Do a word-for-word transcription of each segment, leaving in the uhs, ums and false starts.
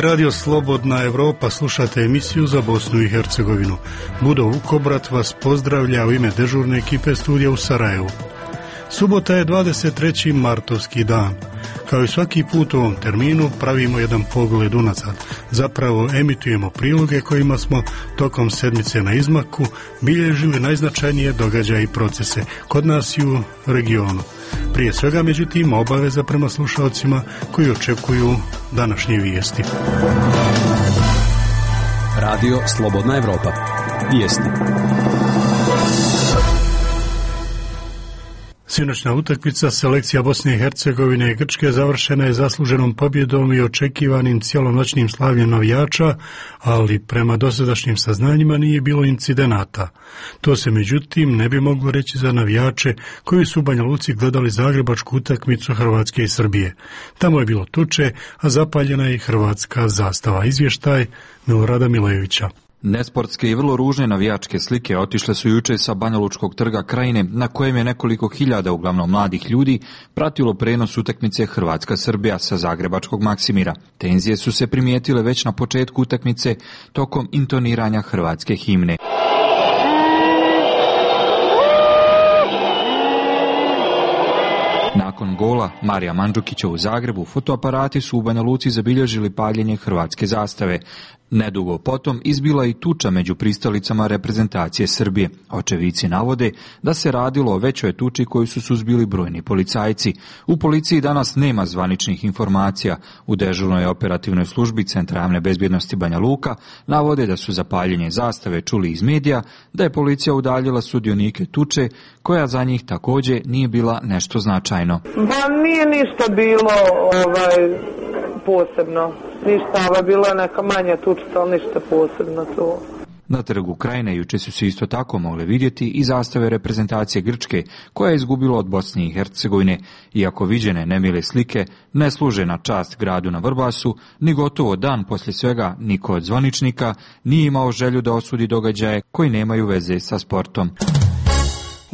Radio Slobodna Evropa, slušate emisiju za Bosnu i Hercegovinu. Budo Vukobrat vas pozdravlja u ime dežurne ekipe studija u Sarajevu. Subota je dvadeset treći martovski dan. Kao i svaki put u ovom terminu pravimo jedan pogled unazad. Zapravo emitujemo priloge kojima smo tokom sedmice na izmaku bilježili najznačajnije događaje i procese kod nas i u regionu. Prije svega, međutim, obaveza prema slušalcima koji očekuju današnje vijesti. Radio Slobodna Evropa. Vijesti. Sinoćna utakmica selekcija Bosne i Hercegovine i Grčke završena je zasluženom pobjedom i očekivanim cijelonoćnim slavljem navijača, ali prema dosadašnjim saznanjima nije bilo incidenata. To se međutim ne bi moglo reći za navijače koji su u Banja Luci gledali zagrebačku utakmicu Hrvatske i Srbije. Tamo je bilo tuče, a zapaljena je hrvatska zastava. Izvještaj Milorada Milojevića. Nesportske i vrlo ružne navijačke slike otišle su juče sa Banjalučkog trga Krajine, na kojem je nekoliko hiljada, uglavnom mladih ljudi, pratilo prenos utakmice Hrvatska-Srbija sa zagrebačkog Maksimira. Tenzije su se primijetile već na početku utakmice tokom intoniranja hrvatske himne. Nakon gola Marija Mandžukića u Zagrebu, fotoaparati su u Banja Luci zabilježili paljenje hrvatske zastave. Nedugo potom izbila i tuča među pristalicama reprezentacije Srbije. Očevici navode da se radilo o većoj tuči koju su suzbili brojni policajci. U policiji danas nema zvaničnih informacija. U dežurnoj operativnoj službi Centra javne bezbjednosti Banja Luka navode da su za paljenje zastave čuli iz medija, da je policija udaljila sudionike tuče, koja za njih također nije bila nešto značajno. Pa nije ništa bilo ovaj, posebno. Ništa, ova bila je neka manja tučica, ali ništa posebno to. Na trgu Krajine juče su se isto tako mogle vidjeti i zastave reprezentacije Grčke, koja je izgubila od Bosne i Hercegovine. Iako viđene nemile slike ne služe na čast gradu na Vrbasu, ni gotovo dan poslije svega niko od zvaničnika nije imao želju da osudi događaje koji nemaju veze sa sportom.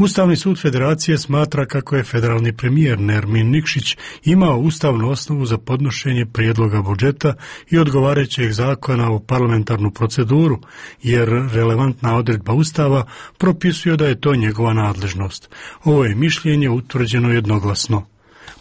Ustavni sud Federacije smatra kako je federalni premijer Nermin Nikšić imao ustavnu osnovu za podnošenje prijedloga budžeta i odgovarajućeg zakona u parlamentarnu proceduru, jer relevantna odredba Ustava propisuje da je to njegova nadležnost. Ovo je mišljenje utvrđeno jednoglasno.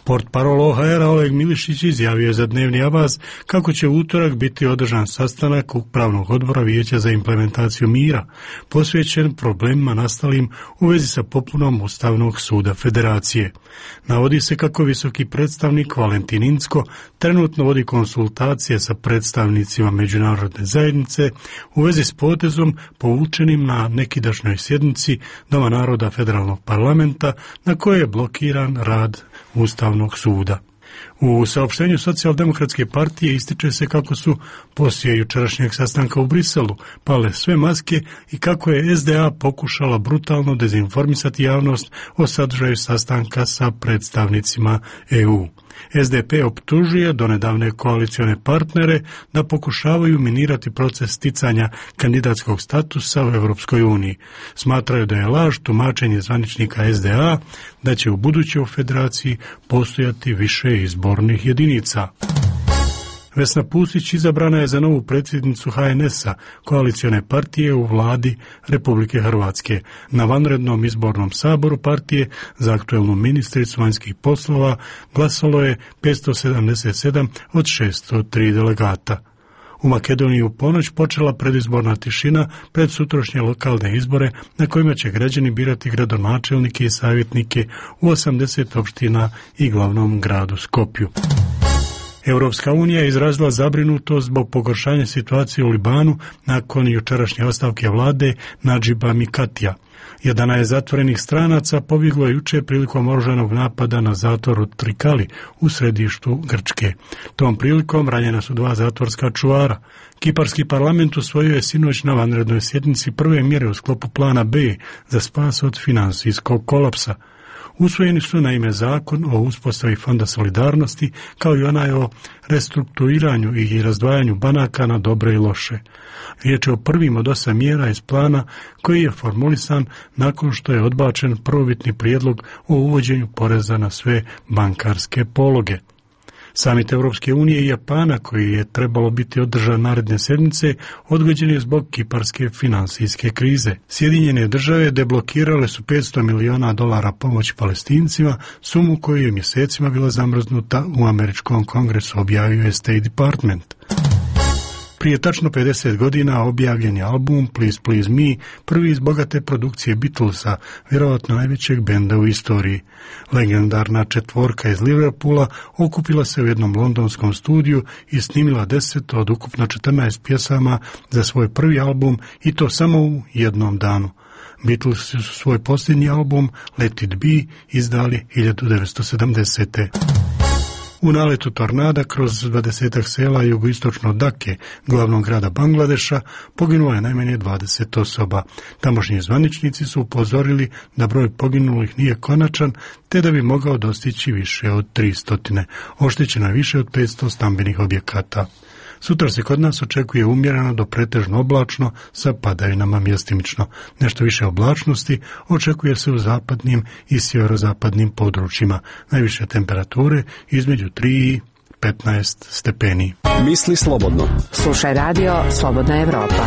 Portparol O H R-a Oleg Milišić izjavio je za Dnevni Avaz kako će u utorak biti održan sastanak Upravnog odbora Vijeća za implementaciju mira, posvećen problemima nastalim u vezi sa popunom Ustavnog suda Federacije. Navodi se kako visoki predstavnik Valentin Incko trenutno vodi konsultacije sa predstavnicima međunarodne zajednice u vezi s potezom povučenim na nekidašnjoj sjednici Doma naroda Federalnog parlamenta, na kojoj je blokiran rad Ustavnog suda. U saopštenju Socijaldemokratske partije ističe se kako su poslije jučerašnjeg sastanka u Briselu pale sve maske i kako je S D A pokušala brutalno dezinformisati javnost o sadržaju sastanka sa predstavnicima E U. S D P optužuje donedavne koalicione partnere da pokušavaju minirati proces sticanja kandidatskog statusa u Europskoj uniji. Smatraju da je laž tumačenje zvaničnika S D A da će u buduće u Federaciji postojati više izbornih jedinica. Vesna Pusić izabrana je za novu predsjednicu H N S-a, koalicione partije u vladi Republike Hrvatske. Na vanrednom izbornom saboru partije za aktuelnu ministricu vanjskih poslova glasalo je petsto sedamdeset sedam od šesto tri delegata. U Makedoniji u ponoć počela predizborna tišina pred sutrašnje lokalne izbore na kojima će građani birati gradonačelnike i savjetnike u osamdeset opština i glavnom gradu Skopju. Europska unija je izrazila zabrinutost zbog pogoršanja situacije u Libanu nakon jučerašnje ostavke vlade Nadžiba Mikatija. Jedanaest zatvorenih stranaca pobjeglo je juče prilikom oružanog napada na zatvor u Trikali u središtu Grčke. Tom prilikom ranjena su dva zatvorska čuvara. Kiparski parlament usvojio je sinoć na vanrednoj sjednici prve mjere u sklopu plana B za spas od financijskog kolapsa. Usvojeni su naime zakon o uspostavi Fonda solidarnosti kao i onaj o restrukturiranju i razdvajanju banaka na dobre i loše. Riječ je o prvim od osam mjera iz plana koji je formulisan nakon što je odbačen prvobitni prijedlog o uvođenju poreza na sve bankarske pologe. Samit Europske unije i Japana, koji je trebalo biti održan naredne sedmice, odgođen je zbog kiparske finansijske krize. Sjedinjene države deblokirale su petsto miliona dolara pomoći Palestincima, sumu koju je mjesecima bila zamrznuta u američkom kongresu, objavio je State Department. Prije tačno pedeset godina objavljen je album Please Please Me, prvi iz bogate produkcije Beatlesa, vjerovatno najvećeg benda u istoriji. Legendarna četvorka iz Liverpoola okupila se u jednom londonskom studiju i snimila deset od ukupno četrnaest pjesama za svoj prvi album, i to samo u jednom danu. Beatles su svoj posljednji album Let It Be izdali hiljadu devetsto sedamdesete. U naletu tornada kroz dvadesetak sela jugoistočno od Dake, glavnog grada Bangladeša, poginulo je najmanje dvadeset osoba. Tamošnji zvaničnici su upozorili da broj poginulih nije konačan, te da bi mogao dostići više od tristo. Oštećeno je više od petsto stambenih objekata. Sutra se kod nas očekuje umjereno do pretežno oblačno sa padavinama mjestimično. Nešto više oblačnosti očekuje se u zapadnim i sjeverozapadnim područjima. Najviše temperature između tri i petnaest stepeni. Misli slobodno. Slušaj radio Slobodna Evropa.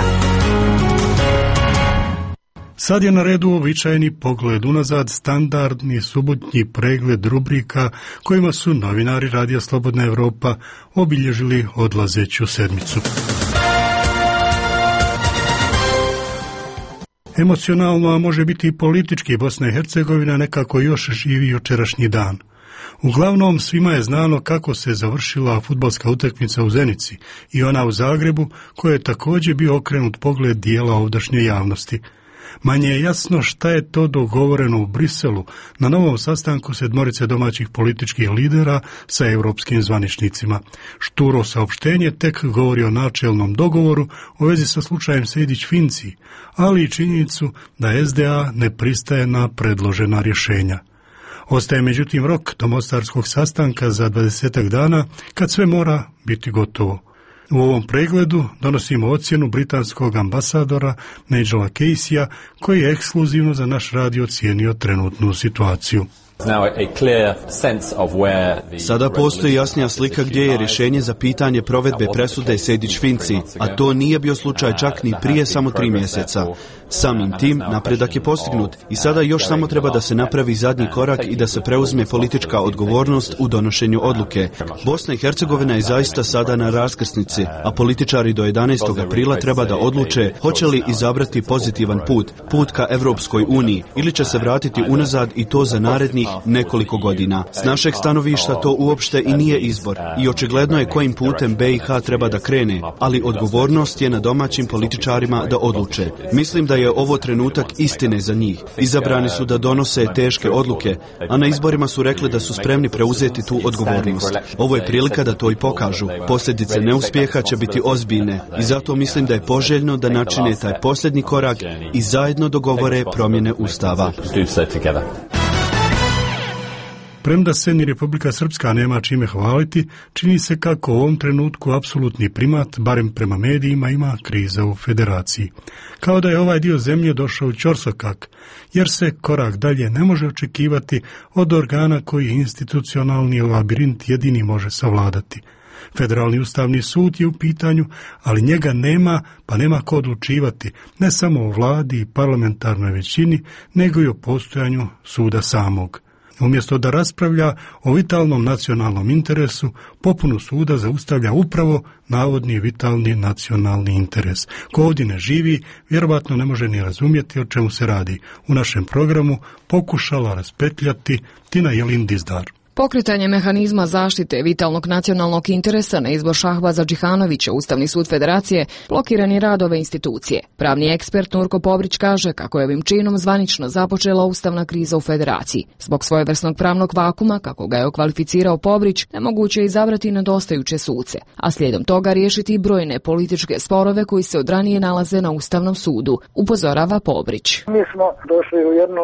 Sad je na redu uobičajeni pogled unazad, standardni subotnji pregled rubrika kojima su novinari Radija Slobodna Evropa obilježili odlazeću sedmicu. Emocionalno, a može biti i politički, Bosna i Hercegovina nekako još živi jučerašnji dan. Uglavnom, svima je znano kako se završila fudbalska utakmica u Zenici i ona u Zagrebu, koja je također bio okrenut pogled dijela ovdašnje javnosti. Manje je jasno šta je to dogovoreno u Briselu na novom sastanku sedmorice domaćih političkih lidera sa europskim zvaničnicima. Šturo saopštenje tek govori o načelnom dogovoru u vezi sa slučajem Sejdić-Finci, ali i činjenicu da S D A ne pristaje na predložena rješenja. Ostaje međutim rok do mostarskog sastanka za dvadesetak dana, kad sve mora biti gotovo. U ovom pregledu donosimo ocjenu britanskog ambasadora Nigela Caseya, koji je ekskluzivno za naš radio ocijenio trenutnu situaciju. Sada postoji jasnija slika gdje je rješenje za pitanje provedbe presude Sejdić-Finci, a to nije bio slučaj čak ni prije samo tri mjeseca. Samim tim napredak je postignut i sada još samo treba da se napravi zadnji korak i da se preuzme politička odgovornost u donošenju odluke. Bosna i Hercegovina je zaista sada na raskrsnici, a političari do jedanaestog aprila treba da odluče hoće li izabrati pozitivan put, put ka Evropskoj uniji, ili će se vratiti unazad i to za narednih nekoliko godina. S našeg stanovišta to uopšte i nije izbor i očigledno je kojim putem B i H treba da krene, ali odgovornost je na domaćim političarima da odluče. Mislim da je ovo trenutak istine za njih. Izabrani su da donose teške odluke, a na izborima su rekli da su spremni preuzeti tu odgovornost. Ovo je prilika da to i pokažu. Posljedice neuspjeha će biti ozbiljne i zato mislim da je poželjno da načine taj posljednji korak i zajedno dogovore promjene Ustava. Premda se ni Republika Srpska nema čime hvaliti, čini se kako u ovom trenutku apsolutni primat, barem prema medijima, ima kriza u federaciji. Kao da je ovaj dio zemlje došao u ćorsokak, jer se korak dalje ne može očekivati od organa koji institucionalni labirint jedini može savladati. Federalni ustavni sud je u pitanju, ali njega nema, pa nema ko odlučivati, ne samo o vladi i parlamentarnoj većini, nego i o postojanju suda samog. Umjesto da raspravlja o vitalnom nacionalnom interesu, popunu suda zaustavlja upravo navodni vitalni nacionalni interes. Ko ovdje ne živi, vjerovatno ne može ni razumjeti o čemu se radi. U našem programu pokušala raspetljati Tina Jelin Dizdar. Pokretanje mehanizma zaštite vitalnog nacionalnog interesa na izbor Šahbaza Džihanovića, Ustavni sud Federacije, blokiran je rad ove institucije. Pravni ekspert Nurko Pobrić kaže kako je ovim činom zvanično započela ustavna kriza u Federaciji. Zbog svojevrsnog pravnog vakuma, kako ga je okvalificirao Pobrić, nemoguće je izabrati nedostajuće suce, a slijedom toga riješiti brojne političke sporove koji se od ranije nalaze na Ustavnom sudu, upozorava Pobrić. Mi smo došli u jednu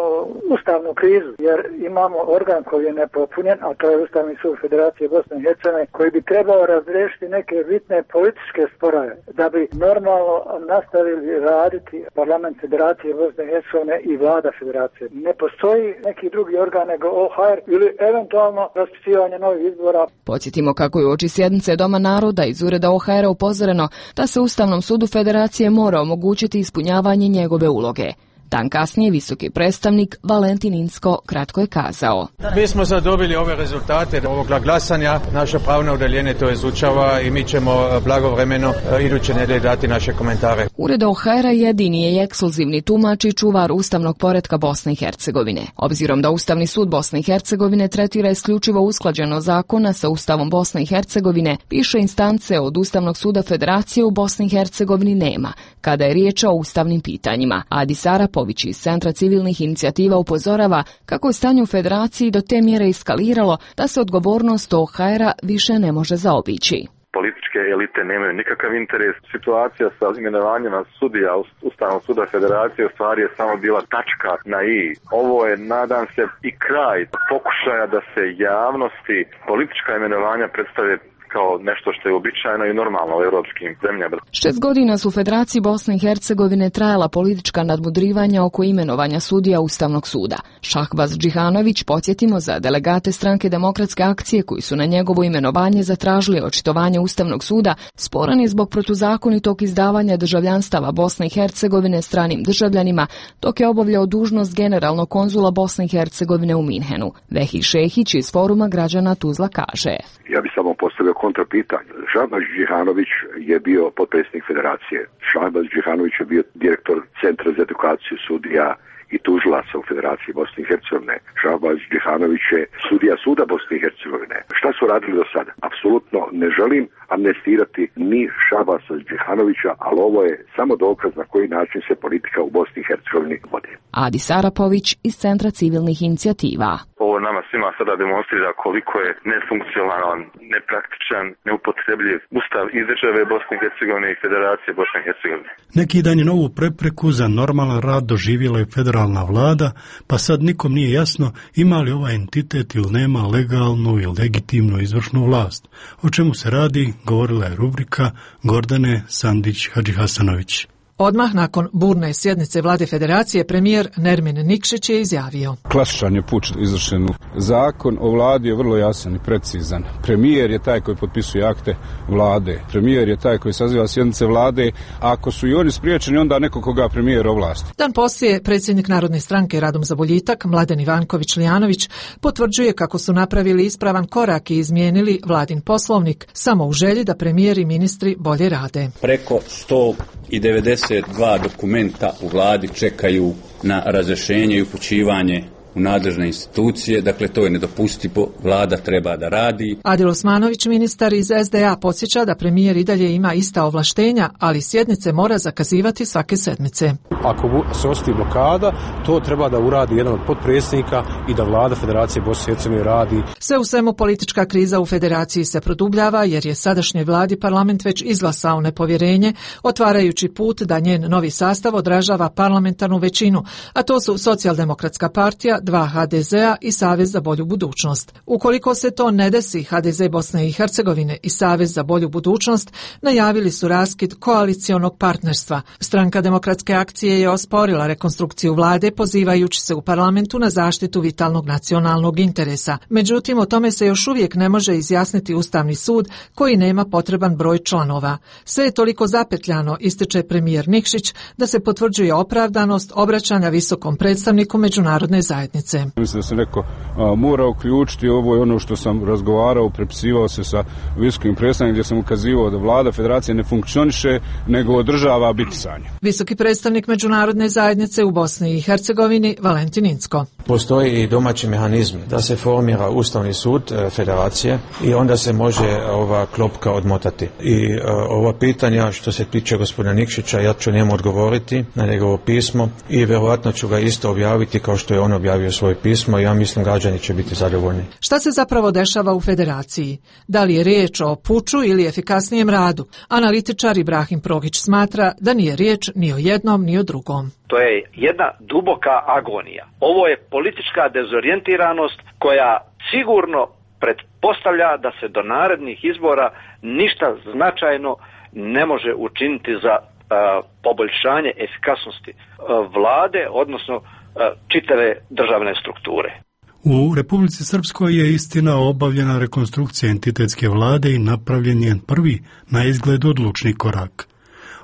ustavnu krizu jer imamo organ koji je nepotpunjen, određen, a to je Ustavni sud Federacije Bosne i Hercegovine, koji bi trebao razriješiti neke bitne političke sporove, da bi normalno nastavili raditi Parlament Federacije Bosne i Hercegovine i Vlada Federacije. Ne postoji neki drugi organ nego O H R ili eventualno raspisivanje novih izbora. Podsjetimo kako je uoči sjednice Doma naroda iz ureda O H R-a upozoreno da se Ustavnom sudu Federacije mora omogućiti ispunjavanje njegove uloge. Dan kasnije visoki predstavnik Valentin Incko kratko je kazao: Mi smo zadobili ove rezultate ovog glasanja, naše pravno odeljenje to izučava i mi ćemo blagovremeno iduće nedelje dati naše komentare. Ured O H R-a jedini je ekskluzivni tumač i čuvar ustavnog poretka Bosne i Hercegovine. Obzirom da Ustavni sud Bosne i Hercegovine tretira isključivo usklađeno zakona sa Ustavom Bosne i Hercegovine, više instance od Ustavnog suda Federacije u Bosni i Hercegovini nema, kada je riječ o ustavnim pitanjima. Adis Arapović iz Centra civilnih inicijativa upozorava kako je stanje u Federaciji do te mjere eskaliralo da se odgovornost O H R-a više ne može zaobići. Političke elite nemaju nikakav interes. Situacija sa imenovanjima sudija Ustavnog suda Federacije u stvari je samo bila tačka na i. Ovo je, nadam se, i kraj pokušaja da se javnosti politička imenovanja predstave kao nešto što je uobičajeno i normalno u europskim zemljama. Šest godina su u Federaciji Bosne i Hercegovine trajala politička nadmudrivanja oko imenovanja sudija Ustavnog suda. Šahbaz Džihanović, podsjetimo, za delegate Stranke demokratske akcije koji su na njegovo imenovanje zatražili očitovanje Ustavnog suda, sporan je zbog protuzakonitog izdavanja državljanstava Bosne i Hercegovine stranim državljanima, dok je obavljao dužnost generalnog konzula Bosne i Hercegovine u Minhenu. Vehi Šehić iz Foruma građana Tuzla kaže: Ja bi samo postavio kontrapitanje. Šahbaz Džihanović je bio potpredsjednik Federacije. Šahbaz Džihanović je bio direktor Centra za edukaciju sudija i tužilaca u Federaciji Bosne i Hercegovine. Šahbaz Džihanović je sudija suda Bosne i Hercegovine. Šta su radili do sada? Apsolutno ne želim amnestirati ni Šahbaza Džihanovića, ali ovo je samo dokaz na koji način se politika u Bosni i Hercegovini vodi. Adis Arapović iz Centra civilnih inicijativa. Ovo nama svima sada demonstrira koliko je nefunkcionalan, nepraktičan, neupotrebljiv ustav iz države Bosne i Hercegovine i Federacije Bosne i Hercegovine. Neki dan je novu prepreku za normalan rad doživjela je federalna vlada, pa sad nikom nije jasno ima li ovaj entitet ili nema legalnu i legitimnu izvršnu vlast. O čemu se radi, govorila je rubrika Gordane Sandić-Hadžihasanović. Odmah nakon burne sjednice vlade Federacije, premijer Nermin Nikšić je izjavio: Klasičan je puč izvršen. Zakon o vladi je vrlo jasan i precizan. Premijer je taj koji potpisuje akte vlade. Premijer je taj koji saziva sjednice vlade. Ako su i oni spriječeni, onda neko koga premijer ovlasti. Dan poslije, predsjednik Narodne stranke Radom za boljitak, Mladen Ivanković-Lijanović, potvrđuje kako su napravili ispravan korak i izmijenili vladin poslovnik, samo u želji da premijer i ministri bolje rade. Preko sto devedeset dva dokumenta u vladi čekaju na razrješenje i upućivanje u nadležne institucije, dakle to je nedopustivo, vlada treba da radi. Adil Osmanović, ministar iz S D A, podsjeća da premijer i dalje ima ista ovlaštenja, ali sjednice mora zakazivati svake sedmice. Ako se ostavi blokada, to treba da uradi jedan od potpredsjednika i da vlada Federacije Bosne i Hercegovine radi. Sve u svemu politička kriza u Federaciji se produbljava jer je sadašnjoj vladi parlament već izglasao nepovjerenje, otvarajući put da njen novi sastav odražava parlamentarnu većinu, a to su Socijaldemokratska partija, dva H D Z-a i Savez za bolju budućnost. Ukoliko se to ne desi, H D Z Bosne i Hercegovine i Savez za bolju budućnost najavili su raskid koalicionog partnerstva. Stranka demokratske akcije je osporila rekonstrukciju vlade, pozivajući se u parlamentu na zaštitu vitalnog nacionalnog interesa. Međutim, o tome se još uvijek ne može izjasniti Ustavni sud, koji nema potreban broj članova. Sve je toliko zapetljano, ističe premijer Nikšić, da se potvrđuje opravdanost obraćanja visokom predstavniku međunarodne zajednice. Mislim da se neko a, mora uključiti, ovo je ono što sam razgovarao, prepisivao se sa visokim predstavnikom gdje sam ukazivao da vlada Federacije ne funkcioniše, nego održava bitisanje. Visoki predstavnik međunarodne zajednice u Bosni i Hercegovini Valentin Incko. Postoji i domaći mehanizmi da se formira Ustavni sud e, Federacije i onda se može ova klopka odmotati. I e, ova pitanja što se tiče gospodina Nikšića, ja ću njemu odgovoriti na njegovo pismo i vjerojatno ću ga isto objaviti kao što je on objavio svoje pismo i ja mislim građani će biti zadovoljni. Šta se zapravo dešava u Federaciji? Da li je riječ o puču ili efikasnijem radu? Analitičar Ibrahim Progić smatra da nije riječ ni o jednom ni o drugom. To je jedna duboka agonija. Ovo je politička dezorijentiranost koja sigurno pretpostavlja da se do narednih izbora ništa značajno ne može učiniti za a, poboljšanje efikasnosti a, vlade, odnosno a, čitave državne strukture. U Republici Srpskoj je istina obavljena rekonstrukcija entitetske vlade i napravljen je prvi na izgled odlučni korak.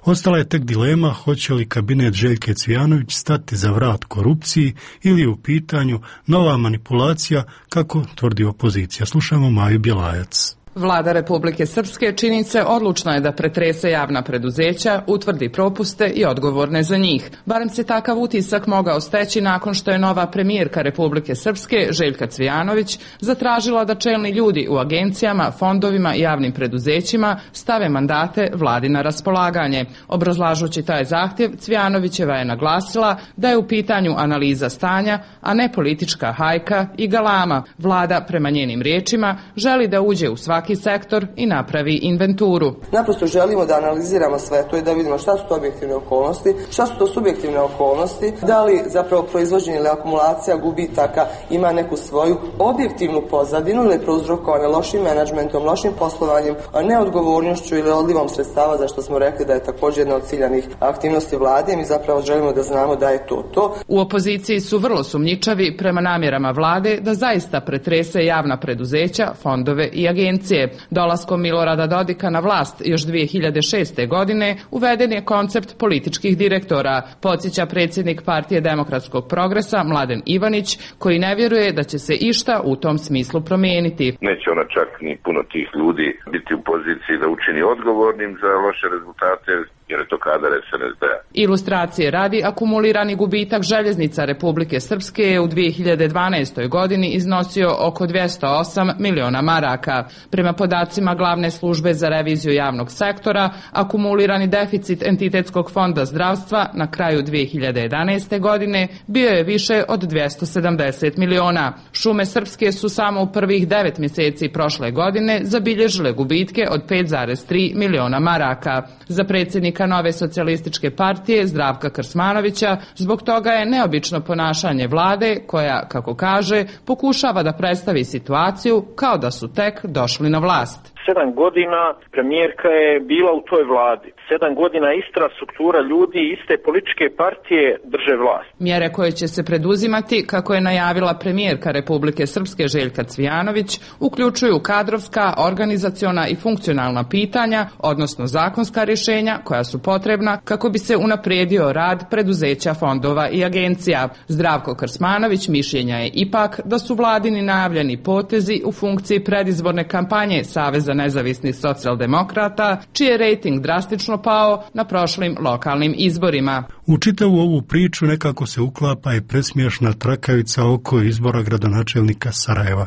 Ostala je tek dilema hoće li kabinet Željke Cvijanović stati za vrat korupciji ili je u pitanju nova manipulacija, kako tvrdi opozicija. Slušamo Maju Bjelajac. Vlada Republike Srpske čini se odlučna je da pretrese javna preduzeća, utvrdi propuste i odgovorne za njih. Barem se takav utisak mogao steći nakon što je nova premijerka Republike Srpske, Željka Cvijanović, zatražila da čelni ljudi u agencijama, fondovima i javnim preduzećima stave mandate vladi na raspolaganje. Obrazlažući taj zahtjev, Cvijanovićeva je naglasila da je u pitanju analiza stanja, a ne politička hajka i galama. Vlada, prema njenim riječima, želi da uđe u svaki sektor i napravi inventuru. Naprosto želimo da analiziramo sve to i da vidimo šta su to objektivne okolnosti, šta su to subjektivne okolnosti, da li zapravo proizvođenje ili akumulacija gubitaka ima neku svoju objektivnu pozadinu ili prouzrokovane lošim menadžmentom, lošim poslovanjem, neodgovornošću ili odlivom sredstava, za što smo rekli da je također jedna od ciljanih aktivnosti vlade i mi zapravo želimo da znamo da je to to. U opoziciji su vrlo sumnjičavi prema namjerama vlade da zaista pretrese javna preduzeća, fondove i agencije. Dolaskom Milorada Dodika na vlast još dvije hiljade šeste. godine uveden je koncept političkih direktora, podsjeća predsjednik Partije demokratskog progresa Mladen Ivanić, koji ne vjeruje da će se išta u tom smislu promijeniti. Neće ona čak ni puno tih ljudi biti u poziciji da učini odgovornim za loše rezultate, jer je to kadar es en es de-a. Ilustracije radi, akumulirani gubitak željeznica Republike Srpske je u dvije hiljade dvanaestoj. godini iznosio oko dvjesto osam miliona maraka. Prema podacima Glavne službe za reviziju javnog sektora, akumulirani deficit entitetskog fonda zdravstva na kraju dvije hiljade jedanaeste. godine bio je više od dvjesto sedamdeset miliona. Šume Srpske su samo u prvih devet mjeseci prošle godine zabilježile gubitke od pet zarez tri miliona maraka. Za predsjednika Nove socijalističke partije Zdravka Krsmanovića zbog toga je neobično ponašanje vlade koja, kako kaže, pokušava da predstavi situaciju kao da su tek došli na vlast. Sedam godina premijerka je bila u toj vladi. Sedam godina ista struktura ljudi, iste političke partije drže vlast. Mjere koje će se preduzimati, kako je najavila premijerka Republike Srpske Željka Cvijanović, uključuju kadrovska, organizaciona i funkcionalna pitanja, odnosno zakonska rješenja koja su potrebna kako bi se unaprijedio rad preduzeća, fondova i agencija. Zdravko Krsmanović mišljenja je ipak da su vladini najavljeni potezi u funkciji predizborne kampanje Saveza nezavisnih socijaldemokrata, čiji je rejting drastično pao na prošlim lokalnim izborima. U čitavu ovu priču nekako se uklapa i presmiješna trakavica oko izbora gradonačelnika Sarajeva.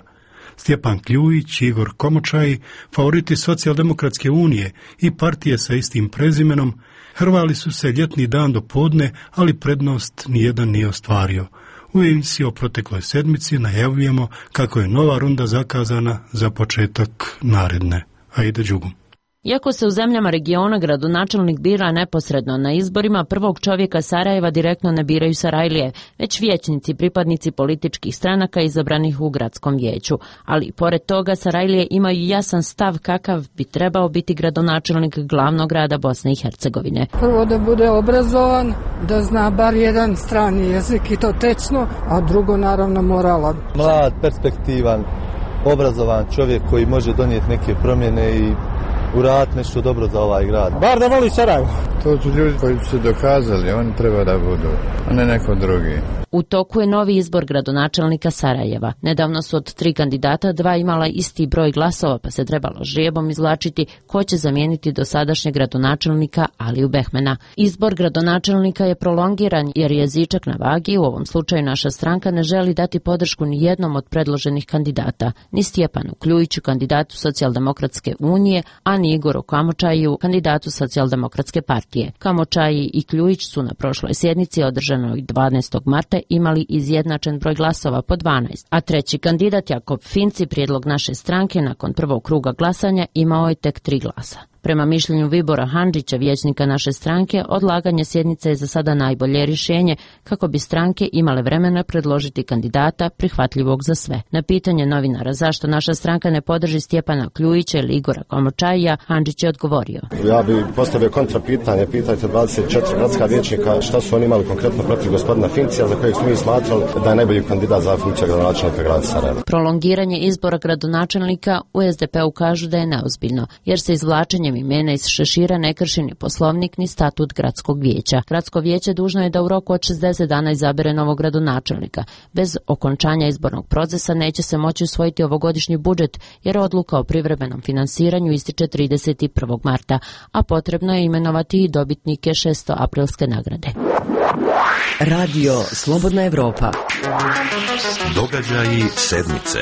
Stjepan Kljujić i Igor Komočaj, favoriti Socijaldemokratske unije i partije sa istim prezimenom, hrvali su se ljetni dan do podne, ali prednost nijedan nije ostvario. U emisiji o protekloj sedmici najavljujemo kako je nova runda zakazana za početak naredne. Ajde Đugum. Iako se u zemljama regiona gradonačelnik bira neposredno na izborima, prvog čovjeka Sarajeva direktno ne biraju Sarajlije, već vijećnici, pripadnici političkih stranaka izabranih u gradskom vijeću. Ali pored toga Sarajlije imaju jasan stav kakav bi trebao biti gradonačelnik glavnog grada Bosne i Hercegovine. Prvo da bude obrazovan, da zna bar jedan strani jezik i to tečno, a drugo naravno moralan. Mlad, perspektivan, obrazovan čovjek koji može donijeti neke promjene i uraditi nešto dobro za ovaj grad. Bar da voli Sarajevo. To su ljudi koji su dokazali, oni treba da budu, a ne neko drugi. U toku je novi izbor gradonačelnika Sarajeva. Nedavno su od tri kandidata dva imala isti broj glasova, pa se trebalo žrijebom izvlačiti ko će zamijeniti dosadašnjeg gradonačelnika Aliju Behmena. Izbor gradonačelnika je prolongiran jer je zičak na vagi. U ovom slučaju naša stranka ne želi dati podršku ni jednom od predloženih kandidata, ni Stjepanu Kljujiću, kandidatu Socijaldemokratske unije, a ni Igoru Kamočaju, kandidatu Socijaldemokratske partije. Kamočaji i Kljujić su na prošloj sjednici održanoj dvanaestog marta imali izjednačen broj glasova po dvanaest, a treći kandidat Jakob Finci, prijedlog naše stranke, nakon prvog kruga glasanja imao je tek tri glasa. Prema mišljenju Vibora Handžića, vijećnika naše stranke, odlaganje sjednice je za sada najbolje rješenje kako bi stranke imale vremena predložiti kandidata prihvatljivog za sve. Na pitanje novinara zašto naša stranka ne podrži Stjepana Kljujića ili Igora Komočajija, Handžić je odgovorio. Ja bih postavio kontra pitanje, pitajte dvadeset četiri gradska vijećnika šta su oni imali konkretno protiv gospodina Fincija, za kojeg smo mi smatrali da je najbolji kandidat za funkciju gradonačelnika grada Sarajeva. Prolongiranje izbora gradonačelnika u es de pe-u kažu da je neozbiljno, jer se izvlačenjem imena iz šešira ne krši ni poslovnik ni statut gradskog vijeća. Gradsko vijeće dužno je da u roku od šezdeset dana izabere novog gradonačelnika. Bez okončanja izbornog procesa neće se moći usvojiti ovogodišnji budžet, jer odluka o privremenom finansiranju ističe trideset prvog marta, a potrebno je imenovati i dobitnike šestoaprilske nagrade. Radio Slobodna Evropa. Događaji sedmice.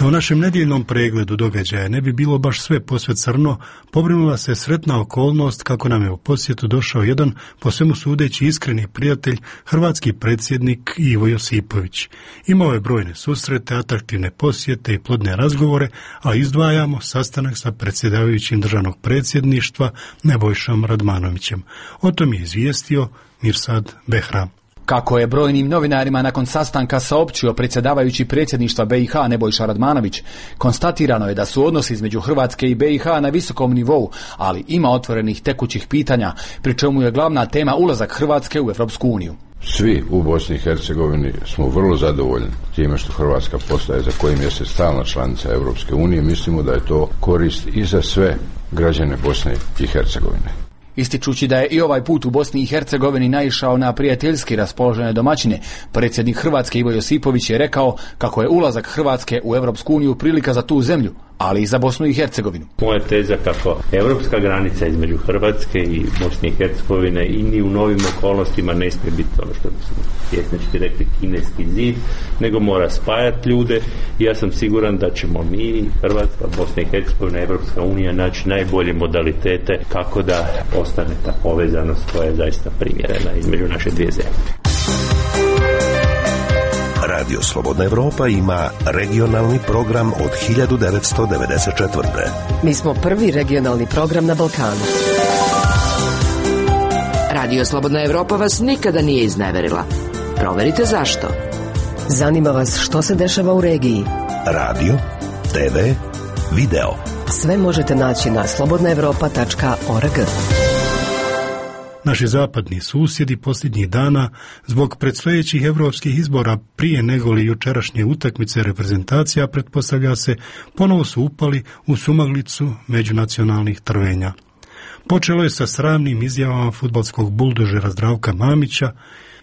U našem nedjeljnom pregledu događaja ne bi bilo baš sve posve crno, pobrinula se sretna okolnost kako nam je u posjetu došao jedan, po svemu sudeći iskreni prijatelj, hrvatski predsjednik Ivo Josipović. Imao je brojne susrete, atraktivne posjete i plodne razgovore, a izdvajamo sastanak sa predsjedavajućim državnog predsjedništva Nebojšom Radmanovićem. O tom je izvijestio Mirsad Behram. Kako je brojnim novinarima nakon sastanka saopćio predsjedavajući predsjedništva be i ha Nebojša Radmanović, konstatirano je da su odnosi između Hrvatske i be i ha na visokom nivou, ali ima otvorenih tekućih pitanja, pri čemu je glavna tema ulazak Hrvatske u Europsku uniju. Svi u Bosni i Hercegovini smo vrlo zadovoljni time što Hrvatska postaje za koji mjesec stalna članica Europske unije. Mislimo da je to korist i za sve građane Bosne i Hercegovine. Ističući da je i ovaj put u Bosni i Hercegovini naišao na prijateljski raspoložene domaćine, predsjednik Hrvatske Ivo Josipović je rekao kako je ulazak Hrvatske u Europsku uniju prilika za tu zemlju, ali i za Bosnu i Hercegovinu. Moja teza kako europska granica između Hrvatske i Bosne i Hercegovine i ni u novim okolnostima ne smije biti ono što smo pjesnički rekli kineski zid, nego mora spajati ljude i ja sam siguran da ćemo mi, Hrvatska, Bosna i Hercegovina, Europska unija naći najbolje modalitete kako da ostane ta povezanost koja je zaista primjerena između naše dvije zemlje. Radio Slobodna Evropa ima regionalni program od hiljadu devetsto devedeset četvrte. Mi smo prvi regionalni program na Balkanu. Radio Slobodna Evropa vas nikada nije izneverila. Proverite zašto. Zanima vas što se dešava u regiji. Radio, te ve, video. Sve možete naći na slobodna evropa tačka org. Naši zapadni susjedi posljednjih dana zbog predstojećih europskih izbora prije negoli jučerašnje utakmice reprezentacija, pretpostavlja se, ponovo su upali u sumaglicu međunacionalnih trvenja. Počelo je sa sramnim izjavama fudbalskog buldožera Zdravka Mamića,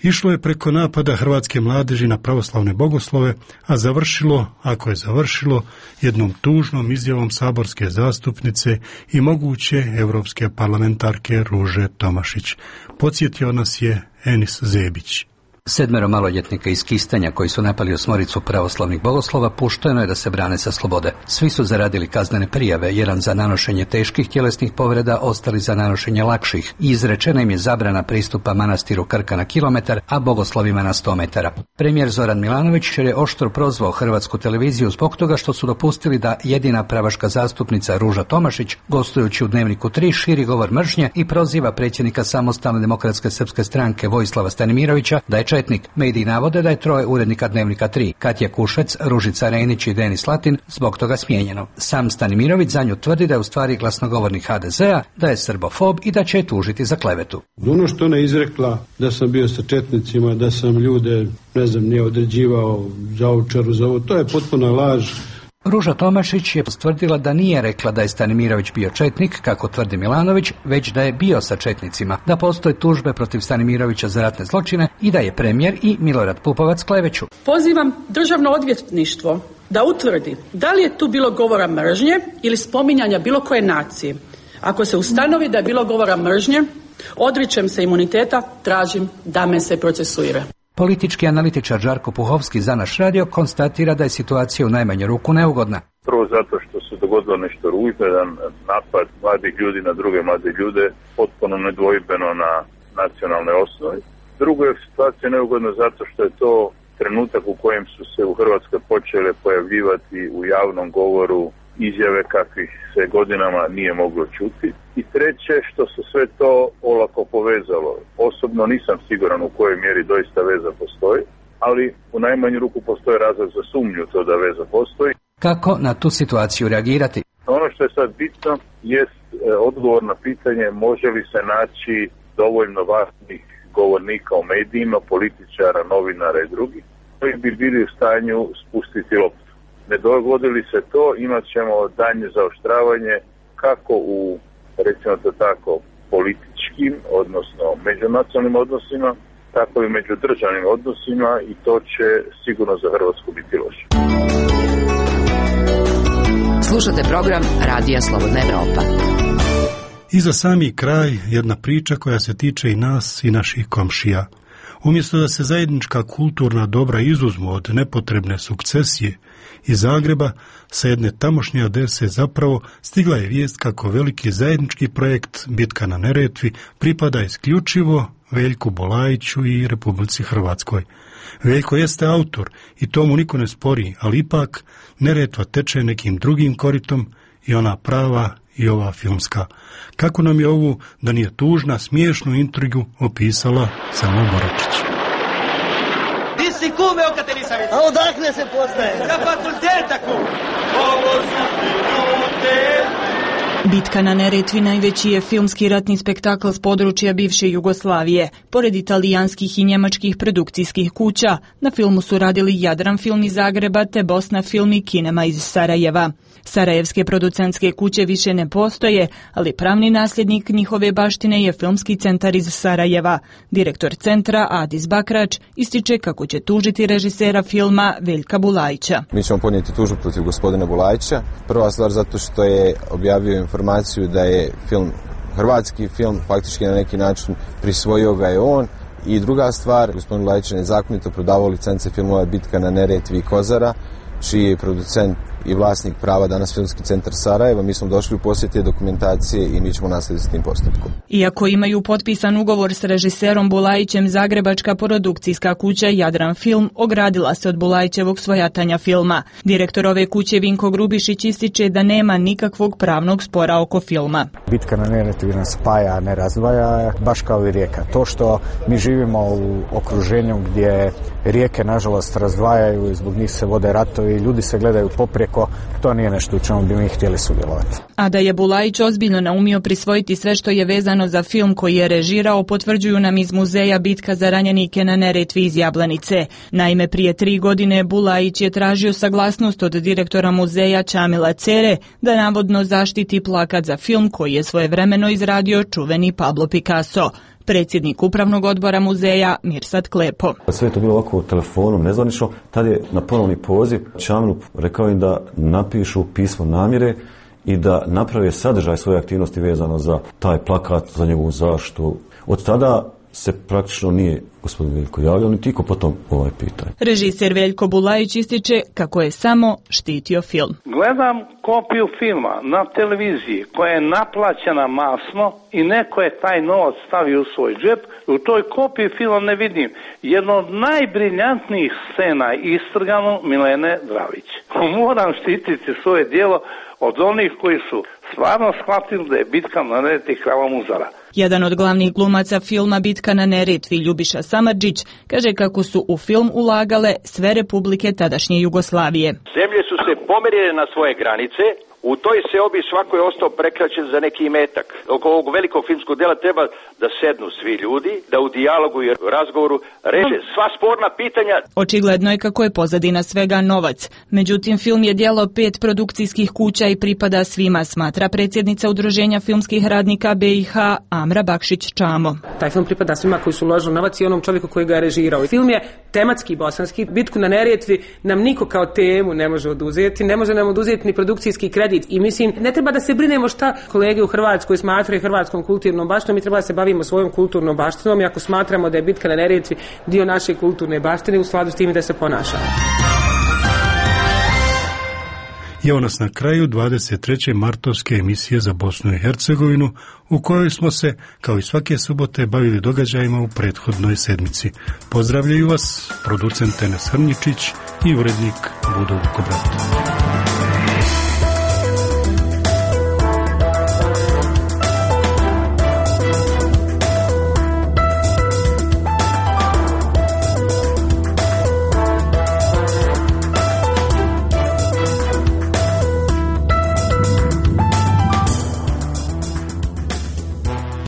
išlo je preko napada hrvatske mladeži na pravoslavne bogoslove, a završilo, ako je završilo, jednom tužnom izjavom saborske zastupnice i moguće europske parlamentarke Ruže Tomašić. Podsjetio nas je Enis Zebić. Sedmero maloljetnika iz Kistanja koji su napali osmoricu pravoslavnih bogoslova pušteno je da se brane sa slobode. Svi su zaradili kaznene prijave, jedan za nanošenje teških tjelesnih povreda, ostali za nanošenje lakših. I izrečena im je zabrana pristupa manastiru Krka na kilometar, a bogoslovima na sto metara. Premijer Zoran Milanović je oštro prozvao hrvatsku televiziju zbog toga što su dopustili da jedina pravaška zastupnica Ruža Tomašić, gostujući u Dnevniku tri, širi govor mržnje i proziva predsjednika Samostalne demokratske srpske stranke Vojislava Stanimirovića da je četnik. Mediji navode da je troje urednika Dnevnika tri, Katja Kušec, Ružica Rejnić i Denis Latin, zbog toga smijenjeno. Sam Stanimirović za nju tvrdi da je u stvari glasnogovornik ha de zea, da je srbofob i da će je tužiti za klevetu. Ono što ona izrekla da sam bio sa četnicima, da sam ljude, ne znam, nije određivao za Ovčaru, za ovo, to je potpuna laž. Ruža Tomašić je postvrdila da nije rekla da je Stanimirović bio četnik, kako tvrdi Milanović, već da je bio sa četnicima, da postoje tužbe protiv Stanimirovića za ratne zločine i da je premijer i Milorad Pupovac kleveću. Pozivam državno odvjetništvo da utvrdi da li je tu bilo govora mržnje ili spominjanja bilo koje nacije. Ako se ustanovi da je bilo govora mržnje, odričem se imuniteta, tražim da me se procesuira. Politički analitičar Žarko Puhovski za naš radio konstatira da je situacija u najmanju ruku neugodna. Prvo zato što se dogodilo nešto ružno, jedan napad mladih ljudi na druge mlade ljude, potpuno nedvojbeno na nacionalne osnovi. Drugo je situacija neugodna zato što je to trenutak u kojem su se u Hrvatskoj počele pojavljivati u javnom govoru izjave kakvih se godinama nije moglo čuti. I treće, što se sve to olako povezalo. Osobno nisam siguran u kojoj mjeri doista veza postoji, ali u najmanju ruku postoji razlog za sumnju to da veza postoji. Kako na tu situaciju reagirati? Ono što je sad bitno jest e, odgovor na pitanje može li se naći dovoljno važnih govornika u medijima, političara, novinara i drugih koji bi bili u stanju spustiti loptu. Ne dogodi li se to, imat ćemo daljnje zaoštravanje kako u, recimo to tako, političkim, odnosno međunacionalnim odnosima, tako i međudržavnim odnosima i to će sigurno za Hrvatsku biti loše. Slušate program Radija Slobodna Evropa. I za sami kraj jedna priča koja se tiče i nas i naših komšija. Umjesto da se zajednička kulturna dobra izuzmu od nepotrebne sukcesije, iz Zagreba sa jedne tamošnje adrese zapravo stigla je vijest kako veliki zajednički projekt Bitka na Neretvi pripada isključivo Veljku Bulajiću i Republici Hrvatskoj. Veljko jeste autor i to mu niko ne spori, ali ipak Neretva teče nekim drugim koritom i ona prava i ova filmska. Kako nam je ovu, da nije tužna, smiješnu intrigu opisala Selma Boračić. Ti si kume oka te nisam vidio. A odakle se poznaje? Na fakulteta kum. Ovo su ljude. Bitka na Neretvi najveći je filmski ratni spektakl s područja bivše Jugoslavije. Pored italijanskih i njemačkih produkcijskih kuća, na filmu su radili Jadran film iz Zagreba te Bosna film i Kinema iz Sarajeva. Sarajevske producentske kuće više ne postoje, ali pravni nasljednik njihove baštine je Filmski centar iz Sarajeva. Direktor centra, Adis Bakrač, ističe kako će tužiti režisera filma Veljka Bulajića. Mi ćemo podnijeti tužbu protiv gospodina Bulajića. Prva stvar zato što je objavio informaciju da je film hrvatski film, faktički na neki način prisvojio ga je on. I druga stvar, gospodin Bulajić je nezakonito prodavao licence filmova Bitka na Neretvi i Kozara, čiji je producent i vlasnik prava danas Filmski centar Sarajeva. Mi smo došli u posjet te dokumentacije i mi ćemo nastaviti s tim postupkom. Iako imaju potpisan ugovor s režiserom Bulajićem, zagrebačka produkcijska kuća Jadran film ogradila se od Bulajićevog svojatanja filma. Direktor ove kuće Vinko Grubišić ističe da nema nikakvog pravnog spora oko filma. Bitka na Neretvi nas spaja, ne razdvaja, baš kao i rijeka. To što mi živimo u okruženju gdje rijeke nažalost razdvajaju i zbog njih se vode ratovi, ljudi se gledaju poprijeko, to nije nešto u čemu bi mi htjeli sudjelovati. A da je Bulajić ozbiljno naumio prisvojiti sve što je vezano za film koji je režirao, potvrđuju nam iz muzeja Bitka za ranjenike na Neretvi iz Jablanice. Naime, prije tri godine Bulajić je tražio saglasnost od direktora muzeja Čamila Cere da navodno zaštiti plakat za film koji je svojevremeno izradio čuveni Pablo Picasso. Predsjednik upravnog odbora muzeja Mirsad Klepo. Sve je to bilo ovako telefonom, nezvanično. Tad je na ponovni poziv Čamilu rekao im da napišu pismo namjere i da naprave sadržaj svoje aktivnosti vezano za taj plakat, za njegovu zaštitu. Od tada se praktično nije gospodin Veljko javljao, niti iko potom ovaj pitanje. Režiser Veljko Bulajić ističe kako je samo štitio film. Gledam kopiju filma na televiziji koja je naplaćena masno i neko je taj novac stavio u svoj džep. U toj kopiji filma ne vidim jedno od najbriljantnijih scena istrgano Milene Dravić. Moram štititi svoje djelo od onih koji su stvarno shvatili da je Bitka na Neretvi krava muzara. Jedan od glavnih glumaca filma Bitka na Neretvi, Ljubiša Samardžić, kaže kako su u film ulagale sve republike tadašnje Jugoslavije. Zemlje su se pomerile na svoje granice, u toj seobi svako je ostao prekraćen za neki imetak. Oko ovog velikog filmskog dela treba da sednu svi ljudi, da u dijalogu i razgovoru reše sva sporna pitanja. Očigledno je kako je pozadina svega novac. Međutim, film je djelo pet produkcijskih kuća i pripada svima, smatra predsjednica Udruženja filmskih radnika B i H Amra Bakšić-Čamo. Taj film pripada svima koji su uložili novac i onom čovjeku koji ga je režirao. Film je tematski bosanski. Bitku na Neretvi nam niko kao temu ne može oduzeti, ne može nam oduzeti ni produkcijski kredit. I mislim, ne treba da se brinemo šta kolege u Hrvatskoj smatraju hrvatskom kulturnom baštinom, mi treba da se bavimo svojom kulturnom baštinom i ako smatramo da je Bitka na Neretvi dio naše kulturne baštine, u skladu s tim da se ponašamo. I evo nas na kraju dvadeset treće martovske emisije za Bosnu i Hercegovinu, u kojoj smo se, kao i svake subote, bavili događajima u prethodnoj sedmici. Pozdravljaju vas producent Enes Hrnjičić i urednik Budo Vukobrat.